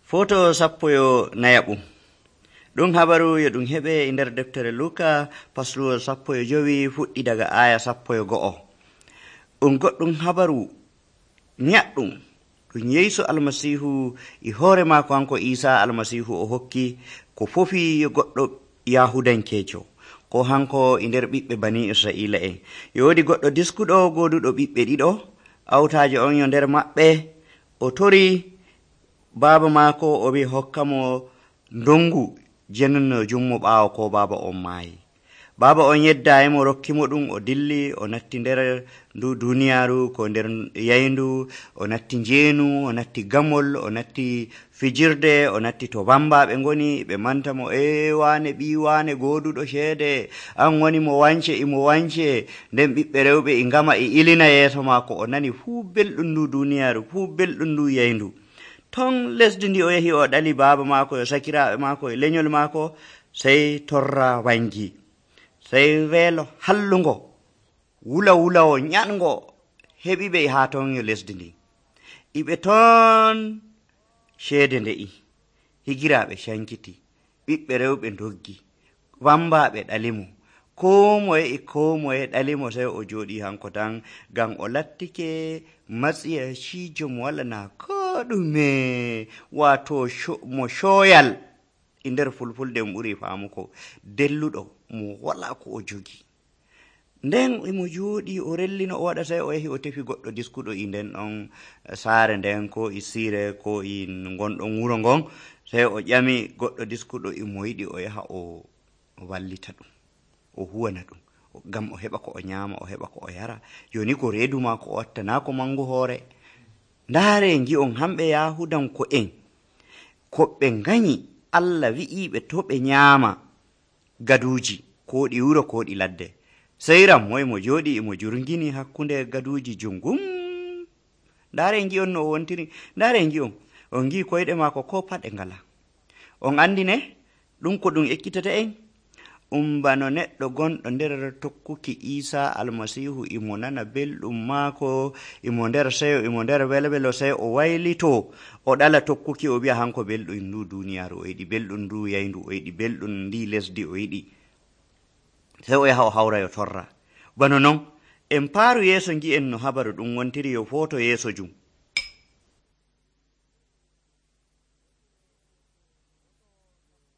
Foto sappo nayaɓum. Ɗum habaru yo ɗum heɓe e nder deftere Luka fasluwol 15 fuɗɗi daga aya 11. Ɗum goɗɗum habaru nyaɗɗum ɗum Yeesu almasihu e hoore maako hanko Isa almasihu o hokki ko fofi yo goɗɗo Yahudankeejo ko hanko e nder ɓiɓɓe bani Israila en. Yoodi goɗɗo diskuɗo goduɗo ɓiɓɓe ɗiɗo, awtaaje on yo nder maɓɓe o tori baaba maako o wi hokkamo ndongu jenno jummo ɓaawo ko baaba on maayi. Baaba on yeddayimo rokkimo ɗum, o dilli o natti nder ndu duniyaaru ko nder yayndu, o natti njeenu, o natti gamol, o natti fijirde, o natti to bambaɓe ngoni ɓe mantamo wane ɓi wane goduɗo ceede, an woni mo wance imo wance. Nden ɓiɓɓe rewɓe e ngama e ilina yeeso maako, o nani fuu belɗum ndu duniyaaru, fuu belɗum ndu yayndu. Ton lesdi ndi o yahi o ɗali baaba maako e sakiraaɓe maako e leñol maako, sey torra wangi, sey weelo hallungo wula ñango heɓi ɓe haa ton yo lesdi ndi. Iɓe ton ceede nde'i, higiraaɓe cankiti, ɓiɓɓe rewɓe ndoggi, wambaɓe ɗalimo, ko moye ɗalimo, sey o jooɗi hanko tan ngam o lattike matsiyaciijo mo wala na ɗume, wato mo shoyal e nder fulfulde mo ɓuri faamuko, delluɗo mo wala ko o jogi. Nden emo jooɗi o rellino o waɗa, sey o yahi o tefi goɗɗo diskuɗo e nden ɗon saare nden ko e siire ko e gonɗon wuro ngon, sey o ƴami goɗɗo diskuɗo emo yiɗi o yaha o wallita ɗum, o huwana ɗum ngam o heɓa ko o ñaama, o heɓa ko o yara. Joni ko reedu maako o watta, naa ko mangu hoore. Ndaare ngi'on hamɓe Yahudanko'en ko ɓe nganyi Allah wi'iɓe to ɓe ñaama gaduuji ko ɗi wuro ko ɗi ladde, sey rammoy mo jooɗi emo jurngini hakkunde gaduuji jungum. Ndaare ngi'on no o wontiri, ndaare ngi'on on ngi koyɗe maako ko paɗe ngala. On andine ɗum ko ɗum ekkitata en bano neɗɗo gonɗo nder tokkuki Isa almasihu imo nana belɗum maako, imo nder seyo, imo nder welwelo, sey o waylito o ɗala tokkuki, o wi'a hanko belɗum ndu duniyaaru, o yiɗi belɗum ndu yayndu, o yiɗi belɗum ndi lesdi, o yiɗi, sey o yaha o hawra yo torra. Bano non en paaru yeeso ngi'en no habaru ɗum wontiri yo foto yeeso jum.